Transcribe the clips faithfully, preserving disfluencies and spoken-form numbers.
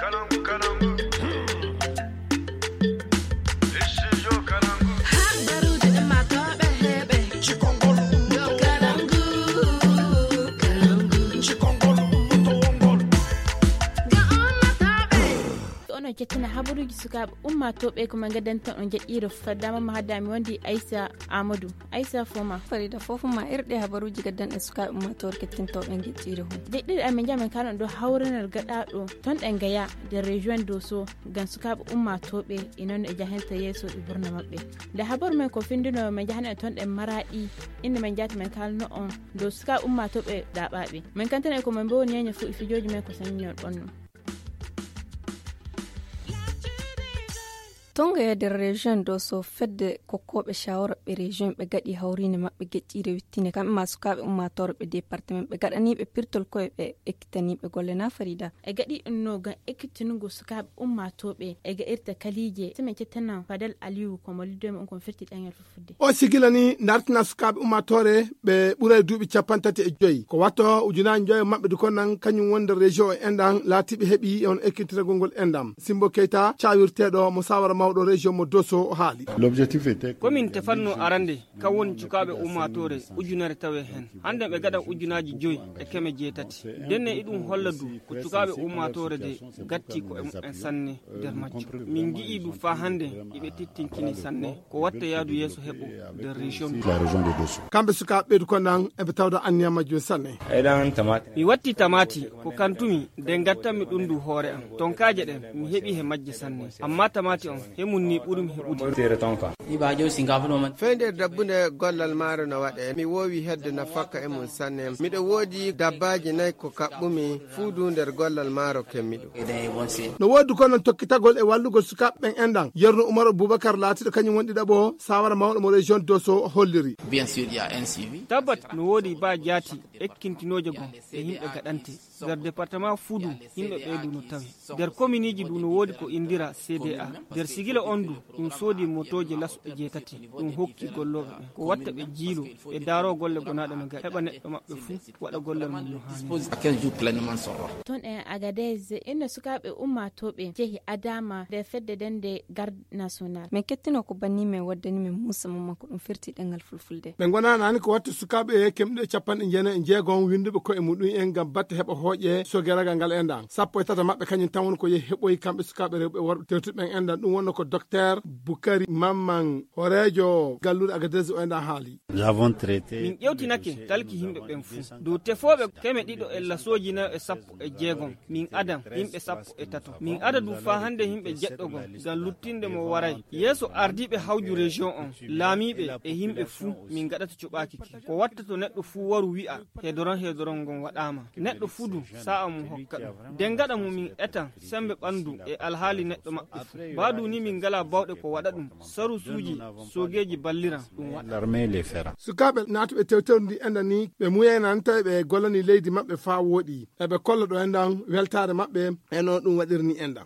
Habaruuji ɗi maatooɓe heɓe. Cikongol. Yo kalangu. Kalangu. Cikongol. Ga ummatooɓe. Onon cettina habaruuji sukaaɓe ummatooɓe ko men gaddanto on jaɗɗiire faddaama ma haddaami wondi Aissa Amadou. Aissa Foma. Farida Fofuma, erɗe habaruuji gaddanɗe sukaaɓe ummatooɓe kettintooɓe en jaɗɗiire hon. Jaɗɗiire amen jamen kalan ɗo hawranal gaɗaaɗo ton ɗen gaya de région doso. Ngam sukaaɓe ummaatooɓe e noon e jahanta yeeso e burna maɓɓe. Nde habaru men ko findinoowo men njahano e toon ɗen Maraaɗi, innde men njaati men kaalno on dow sukaaɓe ummaatooɓe ɗaaɓaaɓe. Men kantana e ko men mboowni ñeeño fof e fijooji men ko saññol ɓonno. Tonga e nder région doso fedde kokkooɓe shawara ɓe région ɓe gaɗi hawriinde maɓɓe geƴƴiire wittinde kamɓe ma sukaaɓe ummaatoore ɓe département ɓe gaɗaniiɓe pirtol koye ɓe ekkitaniiɓe golle na Farida. E gaɗi ɗum no ngam ekkitingo sukaaɓe ummaatooɓe e gaɗirta kaliije. Simen cettanan Fadel Aliyu ko mo liddo men on kon firti ɗaŋel fuffude. O sigila ni dartina sukaaɓe ummaatoore ɓe ɓuray duuɓi capanɗe tati e joyi. Ko watto ujunaaji joyi maɓɓe du kon nan kañum wonde région o enɗan laatiiɓe heɓi on ekkitiragol ngol enɗam. Simbo Keita, cawirteeɗo mo sawara mawɗo région mo Doso o haali. L'objectif était que komin tefatno arande kan woni cukaaɓe ummaatoore ujunere tawe heen. Hannde ɓe gaɗan ujunaaji joyi e keme jeetati. Ndenne iɗum holla du ko cukaaɓe ummaatoore de gatti ko e mumen sanne nder majjum. Min ngi'i du faa hannde iɓe tittinkini sanne ko watta yaadu yeeso heɓo nder région. Kamɓe sukaaɓe ɓeydu kon nan eɓe tawda anniya majjum sanne. Mi watti tamaati ko kantumi de ngattanmi ɗum du hoore am. Tonkaaje ɗen mi heɓi he majje sanne. Amma tamaati on he mun ni ɓurumi heɓude. Fey nder dabbunde gollal maaro no waɗe, mi woowi hedde nafakka e mum sanne. Miɗo woodi dabbaaji nayi ko kaɓɓumi fuu du nder gollal maaro kemmiɗo. No woodi kono tokkitagol e wallugol sukaaɓe ɓen enɗan. Yerno Umar Abubakar laatiiɗo kañum woni ɗiɗaɓo sawara mawɗo mo région Doso holliri. Tabbat no woodi ba jaati ekkintinooje goo e yimɓe gaɗante. Nder département fuu du yimɓe ɓee du no tawi. Nder kominiiji du no woodi ko indira C D A. Nder sigila on du ɗum soodi motooje lasɗo jeetati. Ɗum hokki gollooɓe ɓen ko watta ɓe jiilo ɓe daaro golle gonaaɗe no gaɗi heɓa neɗɗo maɓɓe fuu waɗa gollal mum no haani. Toon e Agadez inno sukaaɓe ummaatooɓe jehi adaama nder fedde dende garde national. Min kettino ko banni men waddani men Muusa Mamman ko ɗum firti ɗemngal fulfulde. Ɓe ngonanaani ko watta sukaaɓe kemɗe capanɗe jeenayi e jeegom winnduɓe koye muɗum en ngam batte heɓa hooƴe sogeragal ngal enɗan. Sappo e tato maɓɓe kañum tan woni ko yehi heɓoyi kamɓe sukaaɓe rewɓe e worɓe tewtuɓe ɓen enɗan. Ɗum wonno ko Docteur Bukari Mamman, horeejo galluure Agadez o enɗan haali. Min ƴewtinake talki yimɓe ɓen fuu. Dow tefooɓe keme ɗiɗo e lasooji nayo e sappo e jeegom, min adan yimɓe sappo e tato. Min ada du faa hannde yimɓe jeɗɗo gom ngam luttinde mo waray. Yeeso ardiiɓe hawju région on, laamiiɓe e yimɓe fuu, min ngaɗata cuɓaaki ki. Ko watta to neɗɗo fuu waru wi'a, heedoron heedoron ngon waɗaama. Neɗɗo fuu du, sa'a mum hokka ɗum. Den gaɗa mu min etan sembe ɓandu e alhaali neɗɗo maɓɓe fuu. Baa du ni min ngalaa bawɗe ko waɗa ɗum. Sarusuuji, soogeeji balliran ɗum waɗa. Sukaaɓe naatuɓe tewtewndi enɗan ni, ɓe muuyaynaani tawi ɓe gollanii leydi maɓɓe faa wooɗi. Eɓe kolla ɗo enɗan weltaare maɓɓe e no ɗum waɗirni enɗan.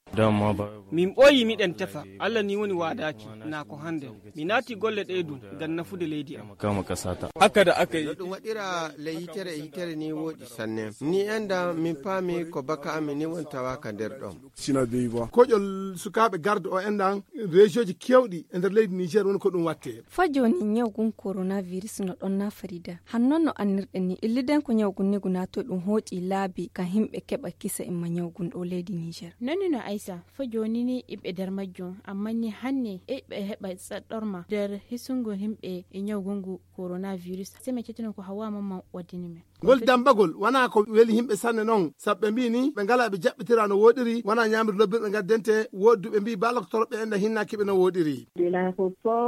Min ɓooyi miɗen tefa, Alla ni woni waadaaki, naa ko hande. Mi naati golle ɗee du ngam nafude leydi am. No ɗum waɗira ley hitere e hitere ni wooɗi sanne. Ni enɗan min paami ko baka amin ni woni tawaaka nder ɗon. Koƴol sukaaɓe garde o enɗan, région ji keewɗi e nder leydi Niger woni ko ɗum watte. Faa jooni ñaw gun coronavirus no ɗon na Farida. Han non no annirɗen ni, illiden ko ñaw gun ni gu naatoy ɗum hooƴi laabi kan himɓe keɓa kisa imma ñaw gun ɗo leydi Niger. Non ni no Aisa, faa jooni ni iɓe nder majjum, amma ni hanne iɓe heɓa saɗɗorma nder hisungo himɓe e ñaw gun ngu coronavirus. Sey men cettino ko Hawwa Mamman waddini men. Ngol dambagol wanaa ko weli yimɓe sanne non, sabu ɓe mbii ni ɓe ngalaa ɓe jaɓɓitira no wooɗiri, wanaa ñaamirde lobbirɓe ngaddente, woodi du ɓe mbii baa loktorooɓe en na hinnaaki ɓe no wooɗiri.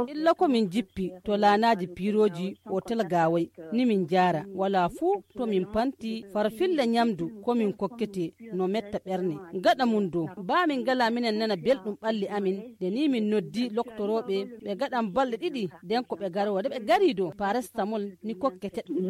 Illa ko min jippi to laanaaji piirooji otel Gaaway, ni min njaara, walaa fuu to min panti farfilla ñamdu ko min kokkete no metta ɓerne. Gaɗa mum do, baa min ngalaa minen nana belɗum ɓalli amin, nde ni min noddi loktorooɓe, ɓe gaɗan balɗe ɗiɗi, nden ko ɓe garoo, nde ɓe garii do, paracetamol ni kokkete ɗum.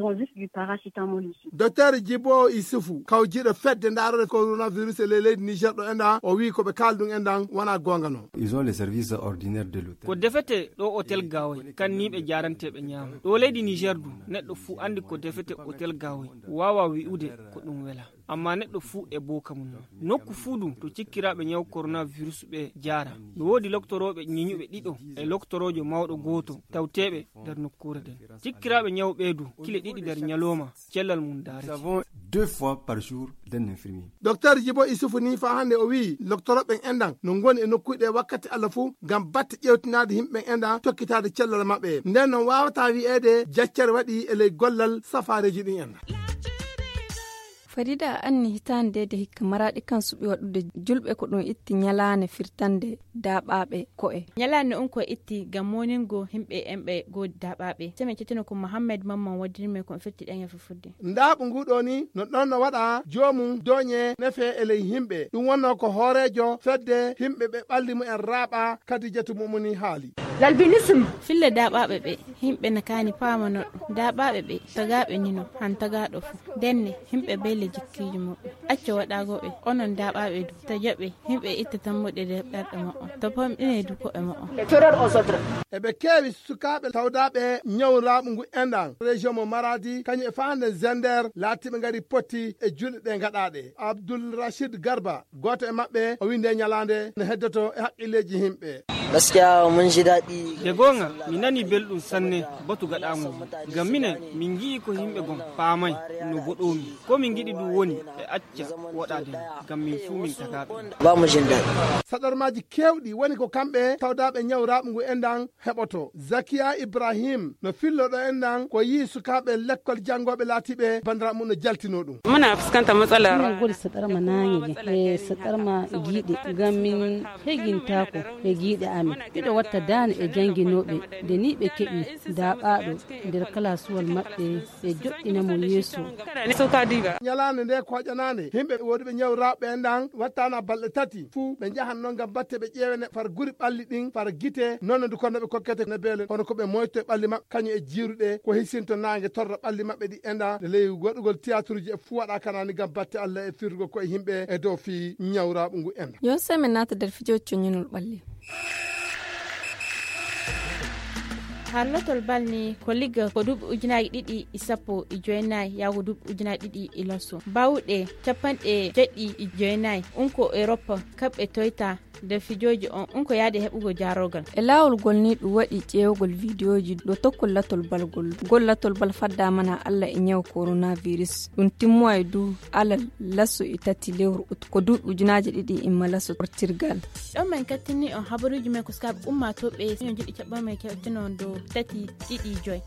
Docteur Jibo Isufu, kawjiiɗo fedde ndaarore coronavirus e ley leydi Niger ɗo enɗan, o wii ko ɓe kaali ɗum enɗan wanaa goonga non. Ils ont les services ordinaires de l'hôtel. Ko defete ɗo otel Gaaway, kan ni ɓe jaarante ɓe ñaama. Ɗo leydi Niger du, neɗɗo fuu anndi ko defete otel Gaaway, waawaa wi'ude ko ɗum welaa. Amma neɗɗo fuu e booka mum non. Nokku fuu du to cikkiraaɓe ñaw koronavirus ɓe jaara, no woodi loktorooɓe ñiñuɓe ɗiɗo e loktoroojo mawɗo gooto tawteeɓe nder nokkuure nden. Cikkiraaɓe ñaw ɓee du kile ɗiɗi nder ñalooma cellal mum daarete. Deux fois par jour d'un infirmier. Docteur Jibo Isufu ni faa hannde o wiyi loktorooɓe en enɗan no ngoni e nokkuuji ɗe wakkati Allah fuu ngam batte ƴeewtinaade yimɓe ɓen enɗan tokkitaade cellal maɓɓe. Nden non waawataa wiyeede jaccere waɗi e ley gollal safaareeji ɗin enɗan. Farida, anni hitaande de hikka Maraaɗi kan suɓi waɗude julɓe ko ɗum itti ñalaande firtande daaɓaaɓe ko'e. Ñalaande on ko itti ngam mooningo yimɓe en ɓe goo daaɓaaɓe. Seme cettino ko Mohammed Mamman waddiri men ko firti ɗen e fuffude. Ndaaɓu ngu ɗoo ni no ɗon no waɗa joomum dooñe nefe e ley yimɓe. Ɗum wonnoo ko hooreejo fedde yimɓe ɓe ɓalli mumen raaɓa Kadijatu Mumuni haali. L'albinisme. Fille daaɓaaɓe ɓe, yimɓe na kaani paamano ɗum. Daaɓaaɓe ɓe, tagaaɓe ni no, han tagaaɗo fu. Ndenne, yimɓe beele jikkiiji muɓɓe. Acca waɗaago ɓe, onon daaɓaaɓe du, tajaɓe, yimɓe itta tammuɗe nder ɓerɗe muɓɓe. To pamɗine du ko'e muɓɓe. Eɓe keewi sukaaɓe tawdaaɓe ñaw laaɓu ngu enɗan. Région mo Maradi, kañum e faande Zender, laatiiɓe ngari potti e julɗe ɗe ngaɗaaɗe. Abdul Rashid Garba, gooto e maɓɓe, o winde ñalaande no heddoto e haqqilleeji yimɓe. Gaskiya mun ji daɗi. De goonga, mi nani belɗum sanne batu gaɗaango ngu. Ngam minen, min ngi'i ko yimɓe gon paamay no boɗoomi. Ko min ngiɗi ɗum woni ɓe acca woɗaade min, ngam min fuu min tagaaɓe. Ba mu jin daɗi. Saɗormaaji keewɗi woni ko kamɓe tawdaaɓe ñaw raaɓu ngu enɗan heɓoto. Zakiya Ibrahim no filloɗo enɗan ko yi'i sukaaɓe lekkol janngooɓe laatiiɓe banndiraaɓe mum no jaltinoo ɗum. Muna fuskanta matsala. Minen ngoni saɗarma naange e saɗarma giiɗe, ngam min hegintaako e giiɗe amin. Miɗo watta daane e jannginooɓe, nde nii ɓe keɓi daaɓaaɗo nder kalaasuwal maɓɓe, ɓe joɗɗina mo yeeso. Ñalaande nde koƴanaande, yimɓe woɗuɓe ñaw raaɓu enɗan wattaana balɗe tati fuu ɓe njahan non ngam batte ɓe ƴeewene far guri ɓalli ɗin, far gite, noone du kono ɓe kokkete ne beele, kono ko ɓe moyto e ɓalli maɓɓe, kañum e jiiruɗe, ko hisinto naange torra ɓalli maɓɓe ɗi enɗan, nde ley waɗugol tiyaturuuji e fuu waɗa kanaani ngam batte Allah e firrugol koye yimɓe e dow fii ñaw raaɓu ngu enɗan. Yo seme naata nder fijooji coññinol ɓalli. Harlotol bal ni ko ligga ko duuɓi ujunaaji ɗiɗi e sappo e joynayi yaago duuɓi ujunaaji ɗiɗi e laso. Baawɗe capanɗe jeɗɗi e joynayi, un ko Europa, kaɓɓe toyta nder fijooji on, un ko yaade heɓugol jaarorgal. E laawol gol ni ɗum waɗi ƴeewgol vidiyooji ɗo tokkol latol bal gol. Gol latol bal faddaama na Allah e ñaw coronavirus. Ɗum timmoyi du alal laso e tati lewru ut ko duuɓi ujunaaji ɗiɗi imma laso portirgal. Ɗon men kattini on habaruuji men ko sukaaɓe ummaatooɓe ñoo jiɗi caɓɓo men kettino dow tati ɗiɗi joy.